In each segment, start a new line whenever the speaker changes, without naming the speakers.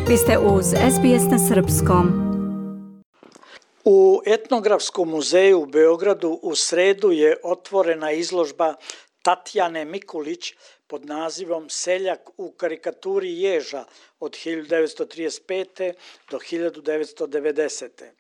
Vi ste uz SBS na srpskom.
U Etnografskom muzeju u Beogradu u sredu je otvorena izložba Tatjane Mikulić pod nazivom Seljak u karikaturi ježa od 1935. do 1990.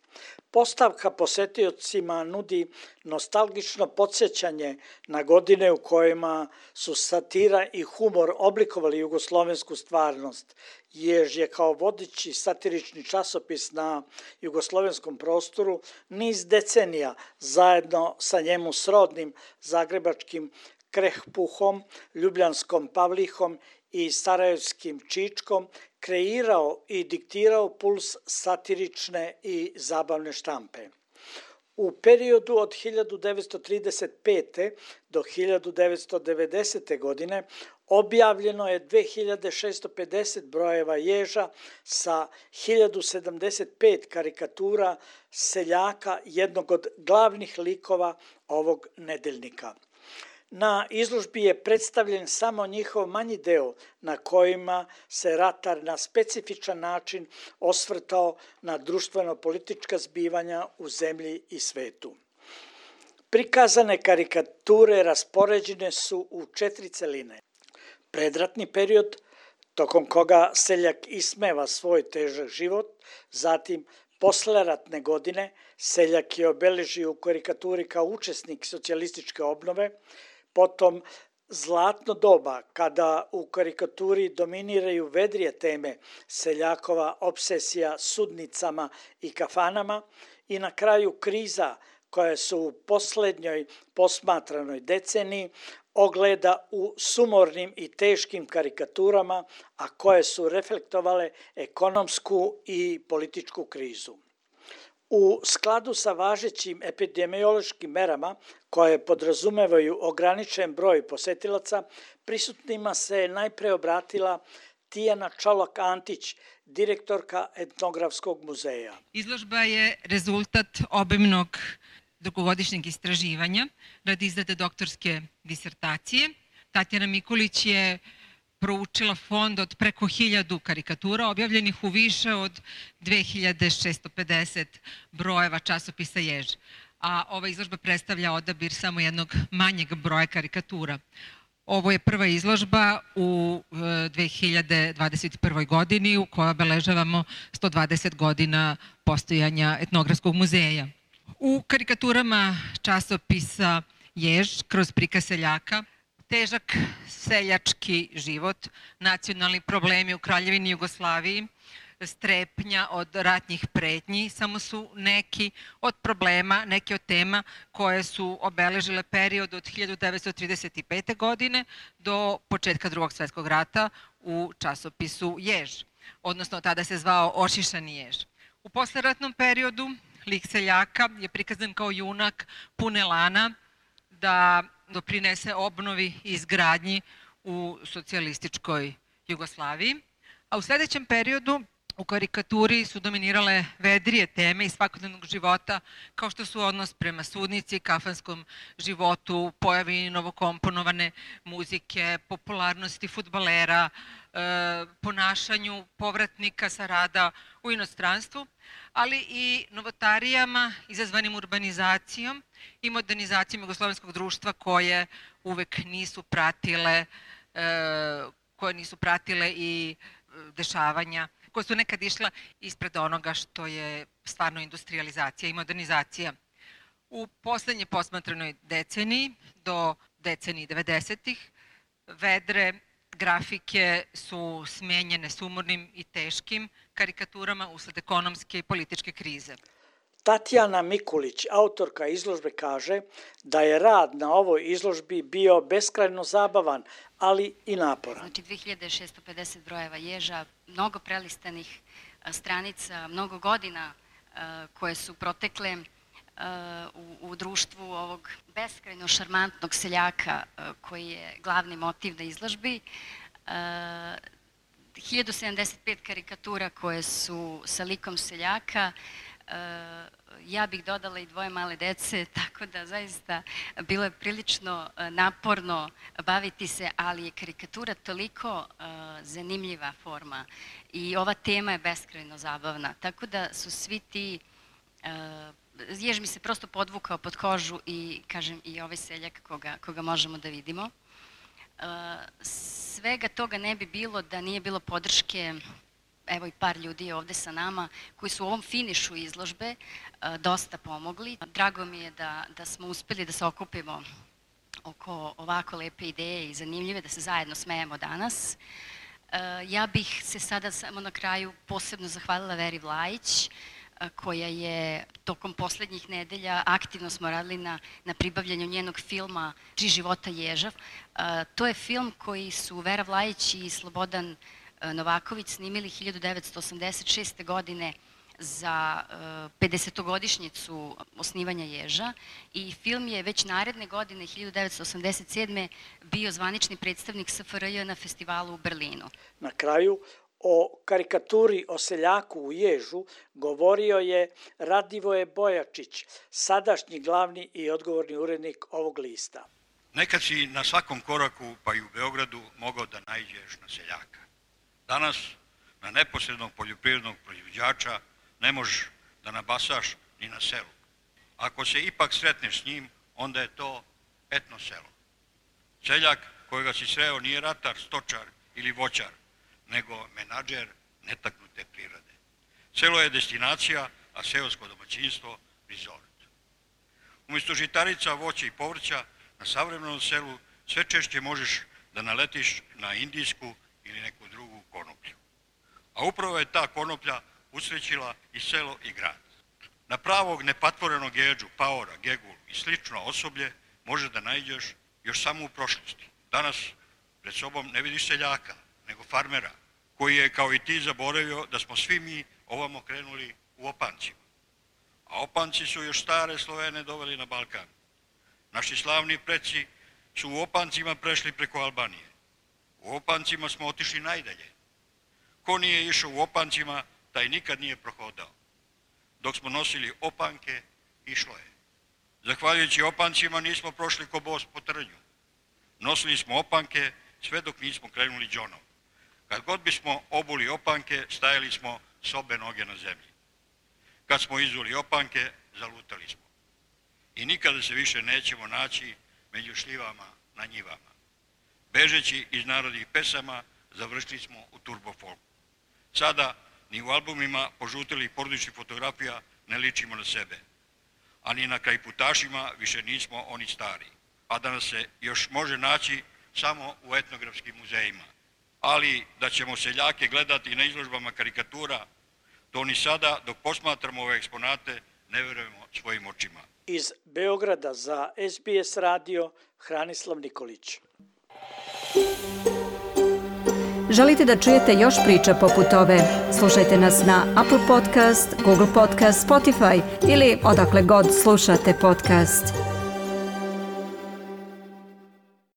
Postavka posetiocima nudi nostalgično podsjećanje na godine u kojima su satira i humor oblikovali jugoslovensku stvarnost. Jež je kao vodeći satirični časopis na jugoslovenskom prostoru niz decenija zajedno sa njemu srodnim zagrebačkim Krehpuhom, ljubljanskom Pavlihom i sarajevskim Čičkom kreirao i diktirao puls satirične i zabavne štampe. U periodu od 1935. do 1990. godine objavljeno je 2650 brojeva ježa sa 1075 karikatura seljaka, jednog od glavnih likova ovog nedeljnika. Na izložbi je predstavljen samo njihov manji deo na kojima se ratar na specifičan način osvrtao na društveno-politička zbivanja u zemlji i svetu. Prikazane karikature raspoređene su u 4 celine. Predratni period, tokom koga seljak ismeva svoj težak život, zatim posleratne godine, seljak je obeležio u karikaturi kao učesnik socijalističke obnove, potom zlatno doba, kada u karikaturi dominiraju vedrije teme, seljakova obsesija sudnicama i kafanama, i na kraju kriza koja se u posljednjoj posmatranoj deceniji ogleda u sumornim i teškim karikaturama, a koje su reflektovale ekonomsku i političku krizu. U skladu sa važećim epidemiološkim merama koje podrazumevaju ograničen broj posetilaca, prisutnima se najpre obratila Tijana Čolak-Antić, direktorka Etnografskog muzeja.
Izložba je rezultat obimnog dugogodišnjeg istraživanja radi izrade doktorske disertacije. Tatjana Mikulić je proučila fond od preko 1000 karikatura objavljenih u više od 2650 brojeva časopisa jež. A ova izložba predstavlja odabir samo jednog manjeg broja karikatura. Ovo je prva izložba u 2021. godini u kojoj obeležavamo 120 godina postojanja Etnografskog muzeja. U karikaturama časopisa jež kroz prikaz seljaka, težak seljački život, nacionalni problemi u Kraljevini Jugoslaviji, strepnja od ratnih pretnji, samo su neki od problema, neke od tema koje su obeležile period od 1935. godine do početka Drugog svjetskog rata u časopisu jež, odnosno tada se zvao Ošišani jež. U posleratnom periodu lik seljaka je prikazan kao junak pun elana da doprinese obnovi i izgradnji u socijalističkoj Jugoslaviji. A u sljedećem periodu u karikaturi su dominirale vedrije teme iz svakodnevnog života, kao što su odnos prema sudnici, kafanskom životu, pojavi novokomponovane muzike, popularnosti fudbalera, ponašanju povratnika sa rada u inostranstvu, ali i novotarijama izazvanim urbanizacijom i modernizacijom jugoslovenskog društva koje uvek nisu pratile i dešavanja koje su nekad išla ispred onoga što je stvarno industrializacija i modernizacija. U poslednje posmatranoj deceniji do deceniji 90-ih vedre grafike su smenjene sumornim i teškim karikaturama usled ekonomske i političke krize.
Tatjana Mikulić, autorka izložbe, kaže da je rad na ovoj izložbi bio beskrajno zabavan, ali i naporan.
Znači 2650 brojeva ježa, mnogo prelistanih stranica, mnogo godina koje su protekle u društvu ovog beskrajno šarmantnog seljaka koji je glavni motiv na izložbi. 1075 karikatura koje su sa likom seljaka, Ja bih dodala i 2 male dece, tako da zaista bilo je prilično naporno baviti se, ali je karikatura toliko zanimljiva forma i ova tema je beskrajno zabavna, tako da su svi ti, jež mi se prosto podvukao pod kožu i kažem i ovaj seljak koga možemo da vidimo. Svega toga ne bi bilo da nije bilo podrške, evo i par ljudi je ovde sa nama, koji su u ovom finišu izložbe dosta pomogli. Drago mi je da smo uspeli da se okupimo oko ovako lepe ideje i zanimljive, da se zajedno smejemo danas. Ja bih se sada samo na kraju posebno zahvalila Veri Vlajić, koja je tokom poslednjih nedelja, aktivno smo radili na pribavljanju njenog filma Tri života ježa. To je film koji su Vera Vlajić i Slobodan Novaković snimili 1986. godine za 50-godišnjicu osnivanja ježa i film je već naredne godine, 1987. bio zvanični predstavnik SFRJ na festivalu u Berlinu.
Na kraju, o karikaturi o seljaku u ježu govorio je Radivoje Bojačić, sadašnji glavni i odgovorni urednik ovog lista.
Nekad si na svakom koraku, pa i u Beogradu, mogao da naiđeš na seljaka. Danas, na neposrednog poljoprivrednog proizvođača, ne možeš da nabasaš ni na selu. Ako se ipak sretneš s njim, onda je to etno selo. Seljak kojega si sreo nije ratar, stočar ili voćar, nego menadžer netaknute prirode. Selo je destinacija, a seosko domaćinstvo resort. Umjesto žitarica, voća i povrća, na savremenom selu sve češće možeš da naletiš na indijsku ili neku drugu konoplju. A upravo je ta konoplja usrećila i selo i grad. Na pravog nepatvorenog jeđu, paora, gegul i slično osoblje možeš da naiđeš još samo u prošlosti. Danas pred sobom ne vidiš seljaka, nego farmera, koji je kao i ti zaboravio da smo svi mi ovamo krenuli u opancima. A opanci su još stare Slovene doveli na Balkan. Naši slavni preci su u opancima prešli preko Albanije. U opancima smo otišli najdalje. Ko nije išao u opancima, taj nikad nije prohodao. Dok smo nosili opanke, išlo je. Zahvaljujući opancima nismo prošli ko bos po trnju. Nosili smo opanke sve dok nismo krenuli džonom. Kad god bismo obuli opanke, stajali smo s obe noge na zemlji. Kad smo izuli opanke, zalutali smo. I nikada se više nećemo naći među šljivama na njivama. Bežeći iz narodnih pesama, završili smo u turbofolku. Sada, ni u albumima požutelih porodičnih fotografija ne ličimo na sebe. A ni na krajputašima više nismo oni stari. A da nas se još može naći samo u etnografskim muzejima. Ali da ćemo seljake gledati na izložbama karikatura, to ni sada, dok posmatramo ove eksponate, ne verujemo svojim očima.
Iz Beograda za SBS radio, Hranislav Nikolić.
Želite da čujete još priča poput ove? Slušajte nas na Apple Podcast, Google Podcast, Spotify ili odakle god slušate podcast.